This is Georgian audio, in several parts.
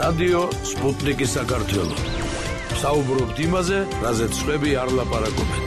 რადიო სპუტნიკი საქართველო. საუბრობთ იმაზე, რაზეც სხვები არ ლაპარაკობენ.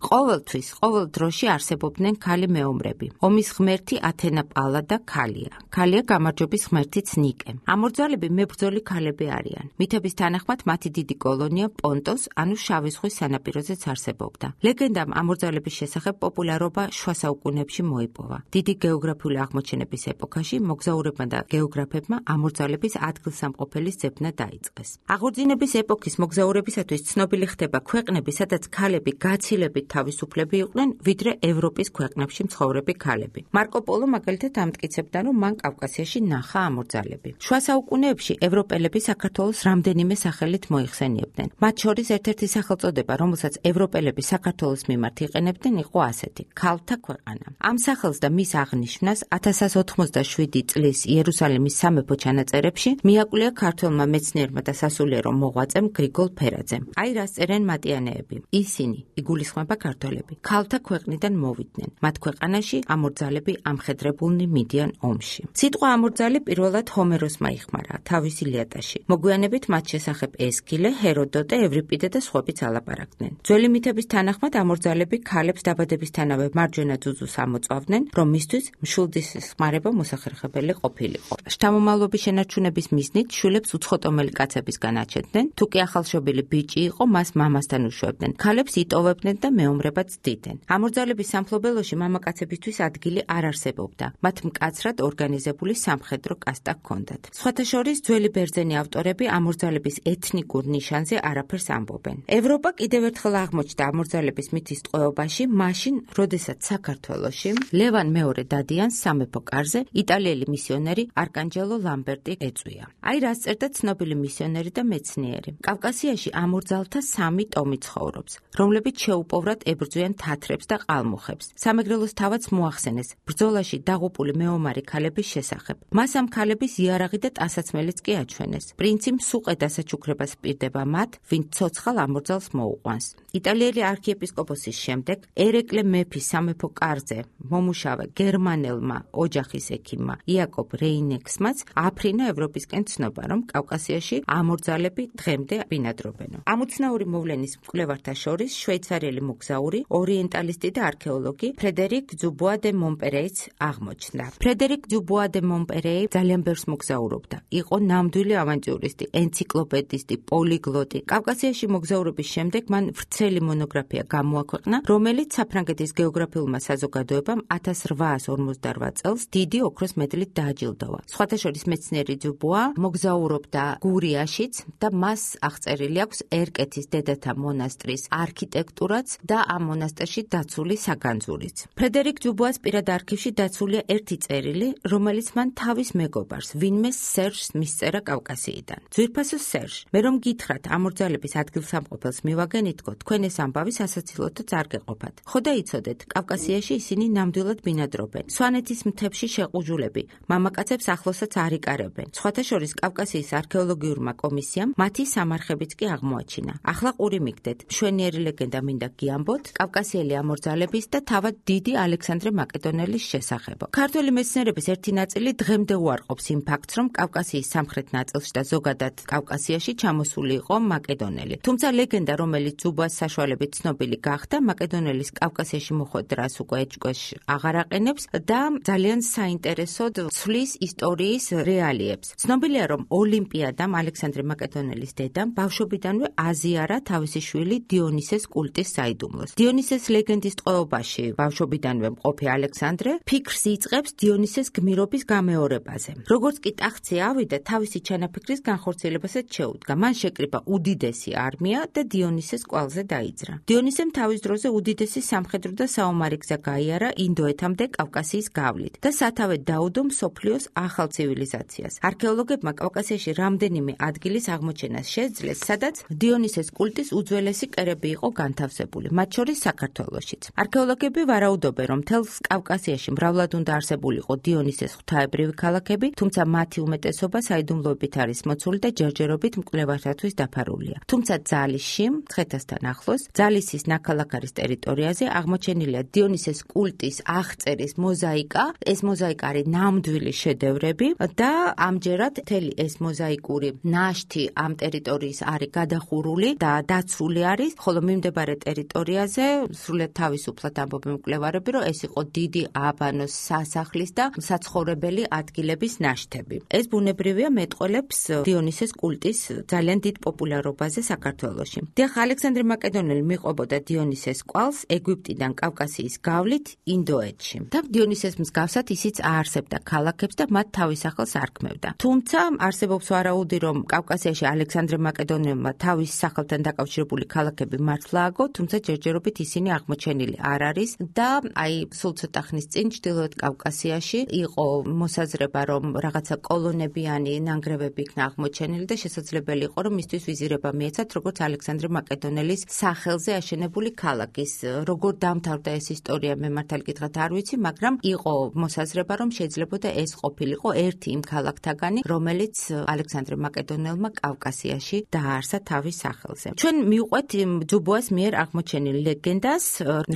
ყოველთვის, ყოველ დროში არსებობდნენ ქალი მეომრები. ომის ღმერთი ათენა პალადა ქალია. ქალია გამარჯვების ღმერთიც ნიკე. ამორძალები მებრძოლი ქალები არიან. მითების თანახმად მათი დიდი კოლონია პონტოს, ანუ შავი ზღვის სანაპიროზეც არსებობდა. ლეგენდამ ამორძალების შესახებ პოპულარობა შუა საუკუნეებში მოიპოვა. დიდი გეოგრაფიული აღმოჩენების ეპოქაში მოგზაურებმა და გეოგრაფებმა ამორძალების ადგილსამყოფელის ძებნა დაიწყეს. აღორძინების ეპოქის მოგზაურებისათვის ცნობილი ხდება ქვეყნები, სადაც ქალები გაცილებით თავისუფლები იყვნენ, ვიდრე ევროპის ქვეყნებში მცხოვრები ქალები. მარკო პოლო მაგალითად ამტკიცებდა, რომ მან კავკასიაში ნახა ამორძალები. შუა საუკუნეებში ევროპელები საქართველოს რამდენიმე სახელით მოიხსენიებდნენ. მათ შორის ერთ-ერთი სახელწოდება, რომელსაც ევროპელები საქართველოს მიმართ იყენებდნენ, იყო ასეთი: ქალთა ქვეყანა. ამ სახელს და მის აღნიშვნას 1187 წლის იერუსალიმის სამეფო ჩანაწერებში მიაკვლია ქართველმა მეცნიერმა და სასულიერო მოღვაწემ გრიგოლ ფერაძემ. აი რას წერენ მატიანეები. ისინი იგულისხმება ქართველები ქალთა ქვეყნიდან მოვიდნენ. მათ ქვეყანაში ამორძალები ამხედრებულნი მიდიან ომში. სიტყვა ამორძალი პირველად ჰომეროსმა იხმარა თავის ილიადაში. მოგვიანებით მათ შესახებ ესქილე, ჰეროდოტე, ევრიპიდე და სხვებიც ალაპარაკდნენ. ძველი მითების თანახმად ამორძალები ქალებს დაბადებისთანავე მარჯვენა ძუძუს ამოწვავდნენ, რომ მისთვის მშვილდის ხმარება მოსახერხებელი ყოფილიყო. შთამომავლობის შენარჩუნების მიზნით შვილებს უცხოტომელი კაცებისგან აჩენდნენ. თუ კი ახალშობილი ბიჭი იყო, მას მამასთან უშვებდნენ. ქალებს იტოვებდნენ და მეომრებად ცდიდნენ. ამორძალების სამფლობელოში მამაკაცებისთვის ადგილი არ არსებობდა. მათ მკაცრად ორგანიზებული სამხედრო კასტა ჰქონდათ. სხვათა შორის ძველი ბერძენი ავტორები ამორძალების ეთნიკურ ნიშანზე არაფერს ამბობენ. ევროპა კიდევ ერთხელ აღმოჩნდა ამორძალების მითის ტყვეობაში, მაშინ, როდესაც საქართველოში ლევან მეორე დადიანს სამეფო კარზე იტალიელი მისიონერი არკანჯელო ლამბერტი ეწვია. აი რას წერდა ცნობილი მისიონერი და მეცნიერი. კავკასიაში ამორძალთა 3 ტომი ცხოვრობს, რომლებიც შეუპოვრად ებრძვიან თათრებს და ყალმუხებს. სამეგრელოს თავაც მოახსენეს ბრძოლაში დაღუპული მეომარი ქალების შესახებ. მას ამ ქალების იარაღი და ტანსაცმელიც კი აჩვენეს. პრინცი მსუყე დასაჩუქრებას პირდება მათ, ვინც ცოცხალ ამორძალს მოუყვანს. იტალიელი არქიეპისკოპოსის შემდეგ ერეკლე მეფის სამეფო კარზე მომუშავე გერმანელმა ოჯახის ექიმმა იაკობ რეინექსმაც აფრინა ევროპისკენ ცნობა, რომ კავკასიაში ამორძალები დღემდე ბინადრობენ. ამოცნაური მოვლენის მკვლევართა შორის შვეიცარიელი მოგზაური, ორიენტალისტი და არქეოლოგი ფრედერიკ დუბუა დე მონპერეიც აღმოჩნდა. ფრედერიკ დუბუა დე მონპერეი ძალიან ბევრს მოგზაურობდა. იყო ნამდვილი ავანტიურისტი, ენციკლოპედისტი, პოლიგლოტი. კავკასიაში მოგზაურობის შემდეგ მან ვრცელი მონოგრაფია გამოაქვეყნა, რომელიც საფრანგეთის გეოგრაფიულმა საზოგადოებამ 1858 წელს დიდი ოქროს მედლით დააჯილდოვა. სხვათა შორის მეცნიერი დუბუა მოგზაურობდა გურიაშიც და მას აღწერილი აქვს ერკეთის დედათა მონასტრის არქიტექტურაც და ამ მონასტერში დაცული საგანძურიც. ფრედერიკ დუბუას პირად არქივში დაცულია ერთი წერილი, რომელიც მან თავის მეგობარს, ვინმე სერჟს მისწერა კავკასიიდან. ძვირფასო სერჟ, მე რომ გითხრათ ამორძალების ადგილსამყოფელს მივაგენითქო, თქვენ ეს ამბავი სასაცილოთაც არ გეყოფათ. ხო და იცოდეთ, კავკასიაში ისინი ნამდვილად ბინადრობენ. სვანეთის მთებში შეყუჟულები, მამაკაცებს ახლოსაც არ იკარებენ. სხვათა შორის კავკასიის არქეოლოგიურმა კომისიამ მათი სამარხებიც კი აღმოაჩინა. ახლა ყური მიგდეთ, მშვენიერი ლეგენდა მინდა გიამბოთ კავკასიელი ამორძალების და თავად დიდი ალექსანდრე მაკედონელის შესახებ. ქართველი მეცნიერების ერთი ნაწილი დღემდე უარყოფს იმ ფაქტს, რომ კავკასიის სამხრეთ ნაწილში და ზოგადად კავკასიაში ჩამოსული იყო მაკედონელი. თუმცა ლეგენდა, რომელიც დუბუას საშუალებით ცნობილი გახდა, მაკედონელის კავკასიაში მოხვედრას უკვე ეჭვქვეშ აღარ აყენებს და ძალიან საინტერესოდ ცვლის ისტორიის რეალიებს. ცნობილია, რომ ოლიმპიადამ ალექსანდრე მაკედონელის დედამ ბავშვობიდანვე აზიარა თავისი შვილი დიონისეს კულტის საიდუმლოს. დიონისეს ლეგენდის ტყვეობაში ბავშვობიდანვე მყოფი ალექსანდრე ფიქრს იწყებს დიონისეს გმირობის გამეორებაზე. როგორც კი ტახტზე ავიდა, თავისი ჩანაფიქრის განხორციელებასაც შეუდგა. მან შეკრიბა უდიდესი არმია და დიონისეს კვალზე დაიძრა. დიონისემ თავის დროზე უდიდესი სამხედრო და საომარი გზა გაიარა ინდოეთამდე კავკასიის გავლით და სათავე დაუდო მსოფლიოს ახალ ცივილიზაციას. არქეოლოგებმა კავკასიაში რამდენიმე ადგილის აღმოჩენას შეძლეს, სადაც დიონისეს კულტის უძველესი კერები იყო განთავსებული, მათ შორის საქართველოშიც. არქეოლოგები ვარაუდობენ, რომ მთელს კავკასიაში მრავლად უნდა არსებულიყო დიონისეს ღვთაებრივი ქალაქები, თუმცა მათი უმეტესობა საიდუმლოებით არის მოცული და ჯერჯერობით მკვლევართათვის დაფარულია. თუმცა ძალისში, მცხეთასთან ახლოს, ძალისის ნაქალაქარის ტერიტორიაზე აღმოჩენილია დიონისეს კულტის აღწერის მოზაიკა. ეს მოზაიკა არის ნამდვილი შედევრები და ამჯერად მთელი ეს მოზაიკური ნაშთი ამ ტერიტორიის არის გადახურული და დაცული არის, ხოლო მიმდებარე ტერიტორიაზე სრულიად თავისუფლად ამბობენ მკვლევარები, რომ ეს იყო დიდი აბანოს სასახლის და საცხოვრებელი ადგილების ნაშთები. ეს ბუნებრივია მეტყველებს დიონისეს კულტის ძალიან დიდ პოპულარობაზე საქართველოში. დიახ, ალექსანდრე მაკედონელი მიყვებოდა დიონისეს კვალს ეგვიპტიდან კავკასიის გავლით ინდოეთში. და დიონისეს მსგავსად ისიც აარსებდა ქალაქებს და მათ თავის სახელს არქმევდა. თუმცა არსებობს ვარაუდი, რომ კავკასიაში ალექსანდრე მაკედონელმა თავის სახელთან დაკავშირებული ქალაქები მართლა აგო, თუმცა ჯერჯერობით ისინი აღმოჩენილი არ არის და აი სულ ცოტა ხნის წინ ჩრდილოეთ კავკასიაში იყო მოსაზრება, რომ რაღაცა კოლონებიანი ნანგრევები იქნა აღმოჩენილი და შესაძლებელი იყო, რომ მისთვის ვიზირება მიეცათ, როგორც ალექსანდრე მაკედონელის სახელზე აშენებული ქალაქის. როგორ დამთავრდა ეს ისტორია, მე მართალ გითხრათ არ ვიცი, მაგრამ იყო მოსაზრება, რომ შეიძლებოდა ეს ყოფილიყო ერთი იმ ქალაქთაგანი, რომელიც ალექსანდრე მაკედონელმა კავკასიაში დააარსა თავის სახელზე. ჩვენ მივყვეთ ჯუბოას მიერ აღმოჩენილ ლეგენდას,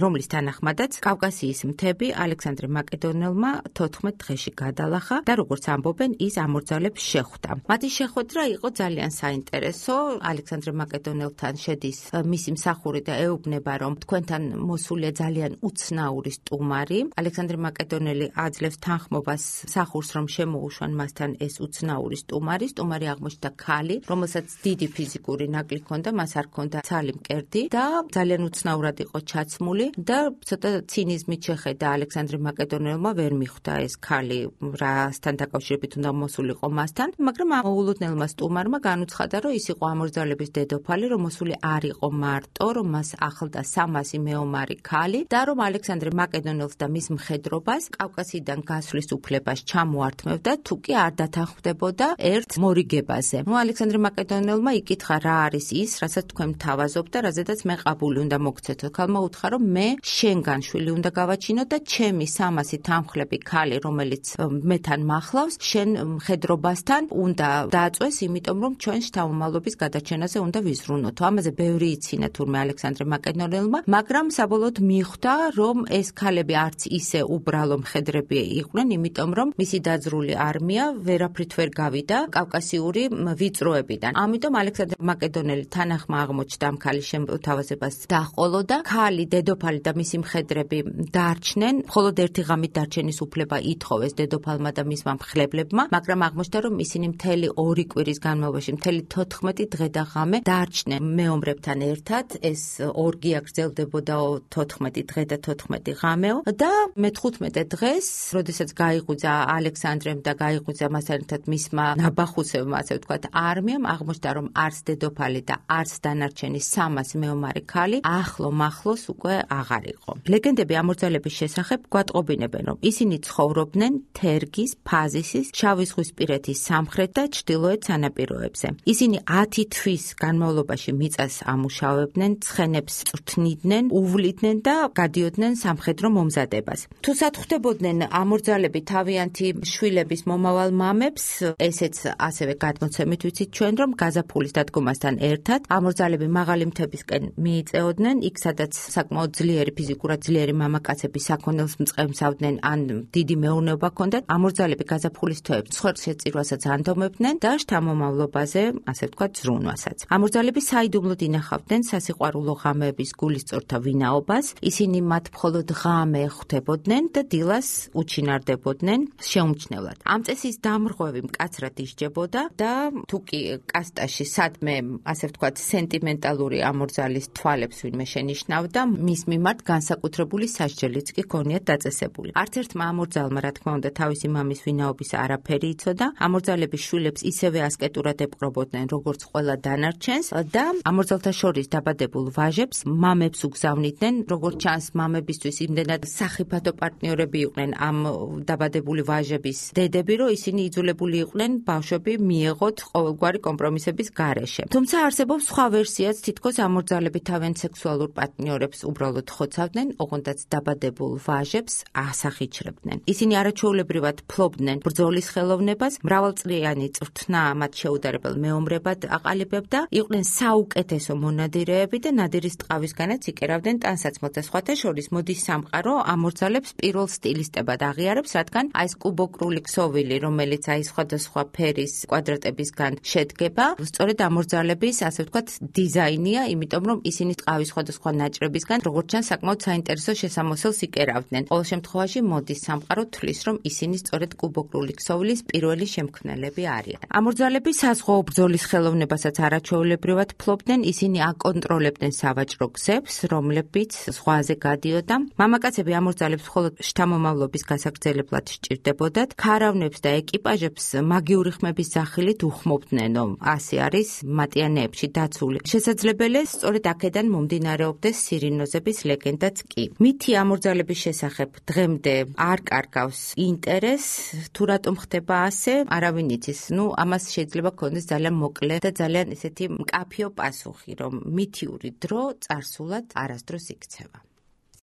რომლის თანახმადაც კავკასიის მთები ალექსანდრე მაკედონელმა 14 დღეში გადალახა და როგორც ამბობენ, ის ამორძალებს შეხვდა. მათი შეხვედრა იყო ძალიან საინტერესო. ალექსანდრე მაკედონელთან შედის მისი მსახური და ეუბნება, რომ თქვენთან მოსულია ძალიან უცნაური სტუმარი. ალექსანდრე მაკედონელი აძლევს თანხმობას მსახურს, რომ შემოუშვან მასთან ეს უცნაური სტუმარი. სტუმარი აღმოჩნდა ქალი, რომელსაც დიდი ფიზიკური ნაკლი ჰქონდა, მას არ ჰქონდა ცალი მკერდი და ძალიან უცნაურად იყო ჩაცმული და ცოტა ცინიზმით შეხედა ალექსანდრე მაკედონელმა, ვერ მიხვდა ეს ქალი რასთან დაკავშირებით უნდა მოსულიყო მასთან, მაგრამ ამ მოულოდნელმა სტუმარმა განუცხადა, რომ ის იყო ამორძალების დედოფალი, რომ მოსული არ იყო მარტო, რომ მას ახლდა 300 მეომარი ქალი და რომ ალექსანდრე მაკედონელს და მის მხედრობას კავკასიიდან გასვლის უფლებას ჩამოართმევდა, თუ კი არ დათანხმდებოდა ერთ მორიგებაზე. ალექსანდრე მაკედონელმა იკითხა, რა არის ის, რასაც თქვენ მთავაზობთ და რაზედაც მე ყაბული უნდა მოგცეთო. ქალმა უთხრა, რომ მე შენგან შვილი უნდა გავაჩინო და ჩემი 300 თანხლები ქალი, რომელიც მეთან მახლავს, შენ მხედრობასთან უნდა დააწვეს, იმიტომ რომ ჩვენ შთამომავლობის გადაჩენაზე უნდა ვიზრუნოთ. ამაზე ბევრი იცინა თურმე ალექსანდრე მაკედონელმა, მაგრამ საბოლოოდ მიხვდა, რომ ეს ქალები არც ისე უბრალო მხედრები იყვნენ, იმიტომ რომ მისი დაძრული არმია ვერაფრით ვერ გავიდა კავკასიური ვიწროებიდან. ამიტომ ალექსანდრე მაკედონელი თანახმა აღმოჩნდა ამ ქალის შემოთავაზებას დაჰყოლოდა. ქალი, დედოფალი და მისი მხედრები დარჩნენ, მხოლოდ ერთი ღამით დარჩენის უფლება ითხოვეს დედოფალმა და მისმა მხლებლებმა, მაგრამ აღმოჩნდა, რომ ისინი მთელი 2 კვირის განმავლობაში, მთელი 14 დღე და ღამე დარჩნენ მეომრებთან ერთად. ეს ორგია გრძელდებოდა 14 დღე და 14 ღამეო და მე-15 დღეს, როდესაც გაიღვიძა ალექსანდრემ და გაიღვიძა მასთან ერთად მისმა ნაბახუსებმა, ასე ვთქვათ, არმიამ, აღმოჩნდა, რომ არც დედოფალი და არც დანარჩენი 300 მეომარი ქალი ახლო-მახლოს უკვე აღარ იყო. ლეგენდები ამორძალების შესახებ გვატყობინებენ, რომ ისინი ცხოვრობდნენ თერგის, ფაზისის, შავი ზღვისპირეთის სამხრეთ და ჩრდილოეთ სანაპიროებზე. ისინი 10 თვის განმავლობაში მიწას ამუშავებდნენ, ცხენებს წვრთნიდნენ, უვლიდნენ და გადიოდნენ სამხედრო მომზადებას. თუ სათხვდებოდნენ ამორძალები თავიანთი შვილების მომავალ მამებს, ესეც ასევე გადმოცემით ვიცით ჩვენ, რომ გაზაფხულის დადგომასთან ერთად ამორძალები მაღალი მთებისკენ მიიწეოდნენ, იქ სადაც საკმაოდ ძლიერი, ფიზიკურად ძლიერი მამაკაცები საქონელს მწყემსავდნენ ან დიდი მეურნეობა ჰქონდათ. ამორძალები გაზაფხულის თვეებს ცხვერშეწირვასაც ანდომებდნენ და შთამომავლობაზე, ასე ვთქვათ, ზრუნვასაც. ამორძალები საიდუმლოდ ინახავდნენ სასიყვარულო ღამეების გულისწორთა ვინაობას. ისინი მათ მხოლოდ ღამე ხვდებოდნენ და დილას უჩინარდებოდნენ შეუმჩნევლად. ამ წესის დამრღვევი მკაცრად ისჯებოდა და თუ კი კასტაში სადმე, ასე ვთქვათ, სენტიმენტალური ამორძალის თვალებს ვინმე შენიშნავდა, მის მიმართ განსაკუთრებული სასჯელიც კი ჰქონიათ დაწესებული. არც ერთმა ამორძალმა, რა თქმა უნდა, თავისი მამის ვინაობის არაფერი იცოდა. ამორძალების შვილებს ისევე ასკეტურად ეპყრობოდნენ, როგორც ყველა დანარჩენს და ამორძალთა შორის დაბადებულ ვაჟებს მამებს უგზავნიდნენ. როგორც ჩანს, მამებისთვის იმდენად სახიფათო პარტნიორები იყვნენ ამ დაბადებული ვაჟების დედები, რომ ისინი იძულებული იყვნენ ბავშვები მიეღოთ ყოველგვარი კომპრომისების გარეშე. თუმცა არსებობს სხვა ვერსიაც, თითქოს ამორძალები თავიანთ სექსუალურ პარტნიორებს უბრალოდ ხოცავდნენ, ოღონდაც დაბადებულ ვაჟებს ასახიჩრებდნენ. ისინი არაჩვეულებრივად ფლობდნენ ბრძოლის ხელოვნებას, მრავალწლიანი წვრთნა მათ შეუდარებელ მეომრებად აყალიბებდა, იყვნენ საუკეთესო მონადირეები ნადირეები და ნადირის ტყავისგანაც იკერავდნენ ტანსაცმელს და სხვათა შორის მოდის სამყარო ამორძალებს პირველ სტილისტებად აღიარებს, რადგან აი ეს კუბოკრული ქსოვილი, რომელიც აი სხვადასხვა ფერის კვადრატებისგან შედგება, სწორედ ამორძალების, ასე ვთქვათ, დიზაინია, იმიტომ რომ ისინი ტყავის სხვადასხვა ნაჭრებისგან, როგორც ჩანს, საკმაოდ საინტერესო შესამოსელს იკერავდნენ. ყოველ შემთხვევაში მოდის სამყარო თვლის, რომ ისინი სწორედ კუბოკრული ქსოვილის პირველი შემქმნელები არიან. ამორძალები საზღვაო ბრძოლის ხელოვნებასაც არაჩვეულებრივად ფლობდნენ, ისინი აკონტროლებდნენ სავაჭრო გზებს, რომლებიც ზღვაზე გადიოდა. მამაკაცები ამორძალებს მხოლოდ შთამომავლობის გასაგრძელებლად სჭირდებოდათ. ქარავნებს და ეკიპაჟებს მაგიური ხმების სახილით უხმობდნენ, რომ ასე არის მატიანეებში დაცული. შესაძლებელია სწორედ აქედან მომდინარეობდეს სირინოზების ლეგენდაც კი. მითი ამორძალების შესახებ დღემდე არ კარგავს ინტერესს, თუ რატომ ხდება ასე, არავინ იცის. ამას შეიძლება გქონდეს ძალიან მოკლე და ძალიან ესეთი მკაფიო პასუხი, რომ მითიური დრო წარსულად არასდროს იქცევა.